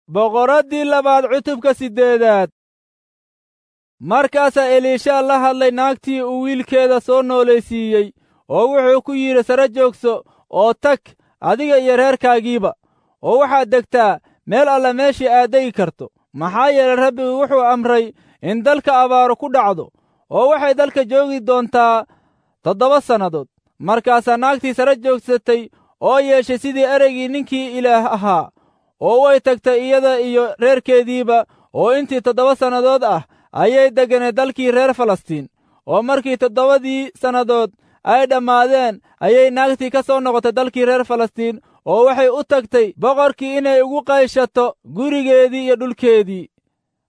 Boqoraddii labaad cutubka 8aad. Markaasaa Eliishaa la hadlay naagtii uu wiilkeeda soo noolaysiiyey, oo wuxuu ku yidhi, sare joogso oo tag adiga iyo reerkaagiiba, oo waxaad degtaa meel alla meeshii aad degi karto. Maxaa yeelay, Rabbigu wuxuu amray in dalka abaaru ku dhacdo, oo waxay dalka joogi doontaa 7 sannadood. Markaasaa naagtii sare joogsatay oo yeeshay sidii ereygii ninkii Ilaah ahaa, oo way tagtay iyada iyo reerkeediiba, oo intii 7 sannadood ah ayay degganeed dalkii reer Falastiin. Oo markii 7dii sannadood ay dhammaadeen, ayay naagtii ka soo noqotay dalkii reer Falastiin, oo waxay u tagtay boqorkii inay ugu qayshato gurigeedii iyo dhulkeedii.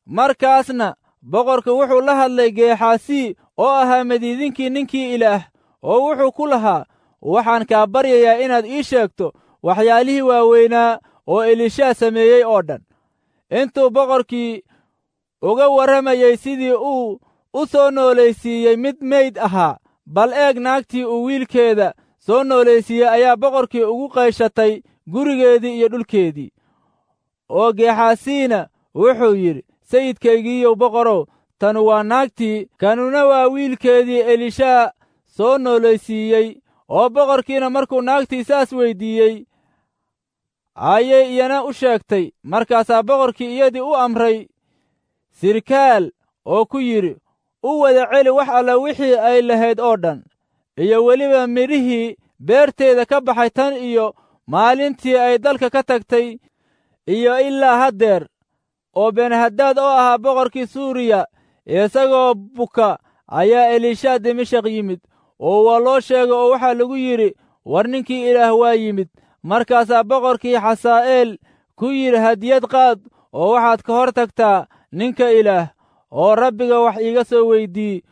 Markaasna boqorku wuxuu la hadlay Geexaasi oo ahaa madiidinkii ninkii Ilaah, oo wuxuu ku lahaa, waxaan kaa baryayaa inaad ii sheegto waxyaalihii waaweynaa oo Eliishaa sameeyey oo dhan. Intuu boqorkii uga warramayey sidii uu u soo noolaysiiyey mid meyd ahaa, bal eeg, naagtii uu wiilkeeda soo noolaysiiyey ayaa boqorkii ugu qayshatay gurigeedii iyo dhulkeedii. Oo Geexaasiina wuxuu yidhi, sayidkaygiiyow boqorow, tanu waa naagtii, kanuna waa wiilkeedii Eliishaa soo noolaysiiyey. Oo boqorkiina markuu naagtii saas weyddiiyey, ayay iyana u sheegtay. Markaasaa boqorkii iyadii u amray sirkaal oo ku yidhi, u wada celi wax alla wixii ay lahayd oo dhan, iyo weliba midhihii beerteeda ka baxay tan iyo maalintii ay dalka ka tagtay iyo ilaa haddeer. Oo Benhadaad oo ahaa boqorkii Suuriya isagoo buka ayaa Eliishaa Dimashaq yimid, oo waa loo sheegay oo waxaa lagu yidhi, war ninkii Ilaah waa yimid. Markaasaa boqorkii Xasaa'eel ku yidhi, hadiyad qaad oo waxaad ka hor tagtaa ninka Ilaah, oo Rabbiga wax iiga soo weydii,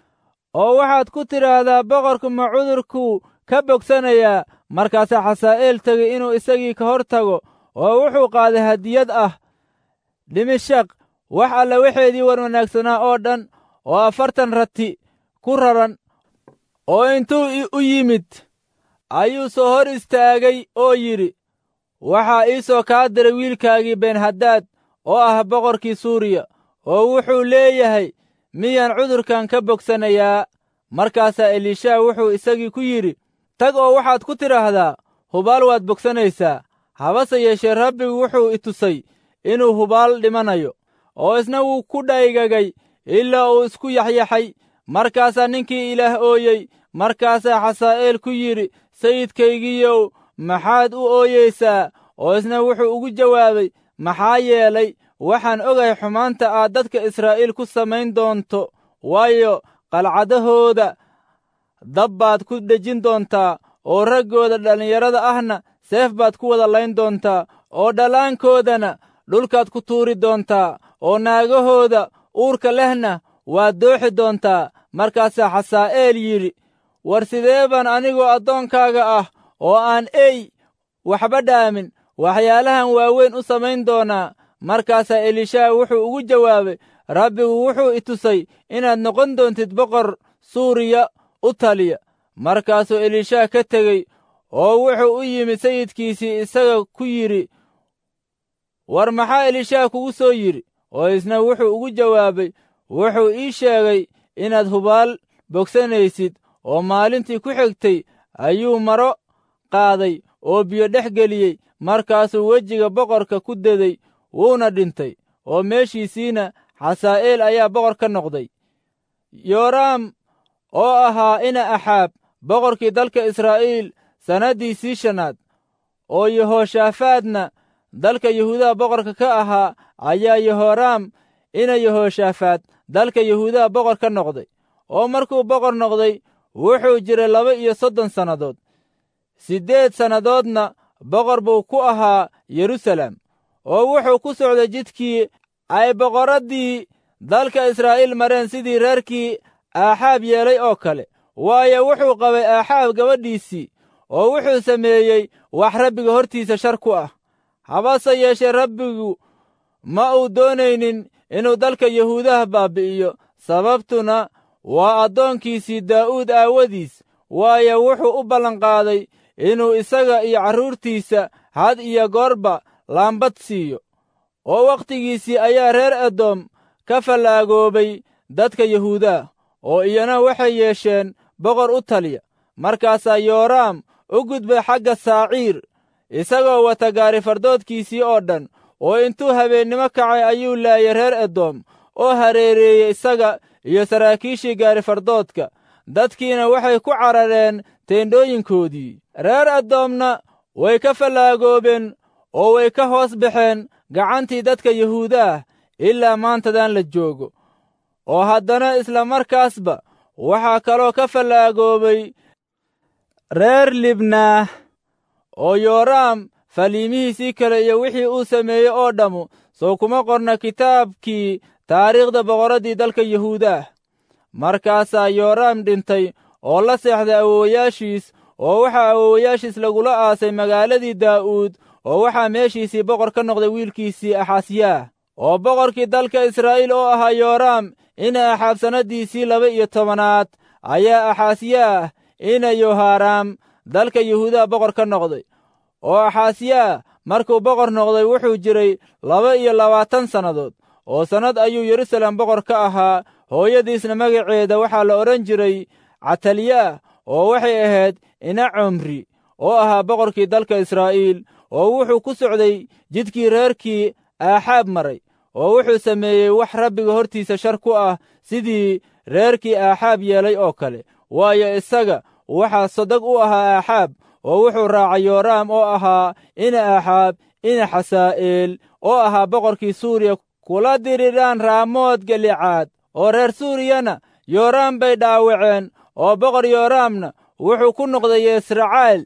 oo waxaad ku tidhaahdaa, boqorku ma cudurkuu ka bogsanayaa? Markaasaa Xasaa'eel tegey inuu isagii ka hor tago, oo wuxuu qaaday hadiyad ah Dimashaq wax alla waxeedii war wanaagsanaa oo dhan, oo 40 rati ku raran. Oo intuu u yimid ayuu soo hor istaagay oo yidhi, waxaa ii soo kaa diray wiilkaagii Benhadaad oo ah boqorkii Suuriya, oo wuxuu leeyahay, miyaan cudurkan ka bogsanayaa? Markaasaa Eliishaa wuxuu isagii ku yidhi, tag oo waxaad ku tidhaahdaa, hubaal waad bogsanaysaa. Habase yeeshee Rabbigu wuxuu i tusay inuu hubaal dhimanayo. Oo isna wuu ku dhaygagay ilaa uu isku yaxyaxay. Markaasaa ninkii Ilaah ooyey. Markaasaa Xasaa'eel ku yidhi, sayidkaygiiyow, maxaad u ooyeysaa? Oo isna wuxuu ugu jawaabay, maxaa yeelay waxaan ogahay xumaanta aad dadka Israa'iil ku samayn doonto, waayo qalcadahooda dab baad ku dhejin doontaa, oo raggooda dhallinyarada ahna seef baad ku wada layn doontaa, oo dhallaankoodana dhulkaad ku tuuri doontaa, oo naagahooda uurka lehna waad dooxi doontaa. Markaasaa Xasaa'eel yidhi, war sidee baan anigoo addoonkaaga ah oo aan ey waxba dhaamin waxyaalahan waaweyn u samayn doonaa? Markaasaa Eliishaa wuxuu ugu jawaabay, Rabbigu wuxuu i tusay inaad noqon doontid boqor Suuriya u taliya. Markaasuu Eliishaa ka tegey oo wuxuu u yimid sayidkiisii isaga ku yidhi, war maxaa Eliishaa kugu soo yidhi? Oo isna wuxuu ugu jawaabay, wuxuu ii sheegay inaad hubaal bogsanaysid. Oo maalintii ku xigtay ayuu maro qaaday oo biyo dhex geliyey, markaasuu wejiga boqorka ku deday, wuuna dhintay. Oo meeshiisiina Xasaa'eel ayaa boqor ka noqday. Yooraam oo ahaa ina Axaab boqorkii dalka Israa'iil sannaddiisii 5aad, oo Yehoshaafaadna dalka Yahuudaha boqorka ka ahaa, ayaa Yehoraam ina Yehoshaafaad dalka Yahuudaha boqor ka noqday. Oo markuu boqor noqday wuxuu jiray 32 sannadood. 8 sannadoodna boqor buu ku ahaa Yeruusaalem. Oo wuxuu ku socday jidkii ay boqoraddii dalka Israa'iil mareen, sidii reerkii Aaxaab yeelay oo kale, waayo wuxuu qabay Aaxaab gabadhiisii, oo wuxuu sameeyey wax Rabbiga hortiisa shar ku ah. Habase yeeshee Rabbigu ma uu doonaynin inuu dalka Yahuudaha baabi'iyo, sababtuna waa addoonkiisii Daa'uud aawadiis, waayo wuxuu u ballanqaaday inuu isaga iyo carruurtiisa had iyo goorba laambad siiyo. Oo wakhtigiisii ayaa reer Edom ka fallaagoobay dadka Yahuudah, oo iyana waxay yeesheen boqor u taliya. Markaasaa Yooraam u gudbay xagga Saaciir, isagoo wata gaarifardoodkiisii oo dhan, oo intuu habeennimo kacay ayuu laayay reer Edom oo hareereeyey isaga iyo saraakiishii gaarifardoodka. Dadkiina waxay ku carareen teendhooyinkoodii. Reer Edomna way ka fallaagoobeen oo way ka hoos baxeen gacantii dadka Yahuudaah ilaa maantadan la joogo. Oo haddana isla markaasba waxaa kaloo ka fallaagoobay reer Libnaah. Oo Yooraam faliimihiisii kale iyo wixii uu sameeyey oo dhammu sow kuma qorna kitaabkii taariikhda boqorraddii dalka Yahuudaah. Markaasaa Yooraam dhintay oo la seexday awowayaashiis, oo waxaa awowayaashiis lagula aasay magaaladii Daa'uud, oo waxaa meeshiisii boqor ka noqday wiilkiisii Axasyaah. Oo boqorkii dalka Israa'iil oo ahaa Yooraam ina Axaab sannaddiisii 12aad ayaa Axasyaah ina Yohaaraam dalka Yahuudaha boqor ka noqday. Oo Axasyaah markuu boqor noqday wuxuu jiray 22 sannadood, oo sannad ayuu Yerusalem boqor ka ahaa. Hooyadiisna magaceeda waxaa la odhan jiray Catalyaah, oo waxay ahayd ina Comri oo ahaa boqorkii dalka Israa'iil. Oo wuxuu ku socday jidkii reerkii Aaxaab maray, oo wuxuu sameeyey wax Rabbiga hortiisa shar ku ah, sidii reerkii Aaxaab yeelay oo kale. Waayo, isaga waxaa sodog u ahaa Aaxaab, oo wuxuu raacay Yooraam oo ahaa ina Aaxaab ina Xasaa'eel oo ahaa boqorkii Suuriya kula diriraan Raamood Galicaad. Oo reer Suuriyana Yooraam bay dhaawaceen, oo boqor Yooraamna wuxuu ku noqday Yesracaal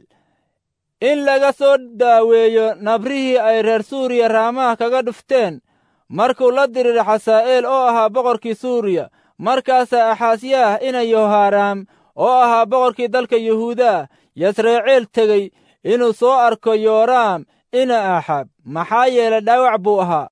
in laga soo daaweeyo nabrihii ay reer Suuriya Raamaha kaga dhufteen markuu la diriray Xasaa'eel oo ahaa boqorkii Suuriya. Markaasaa Axasyaah ina Yohaaraam oo ahaa boqorkii dalka Yahuudah Yasreeceel tegey inuu soo arko Yooraam ina Aaxaab, maxaa yeelay dhaawac buu ahaa.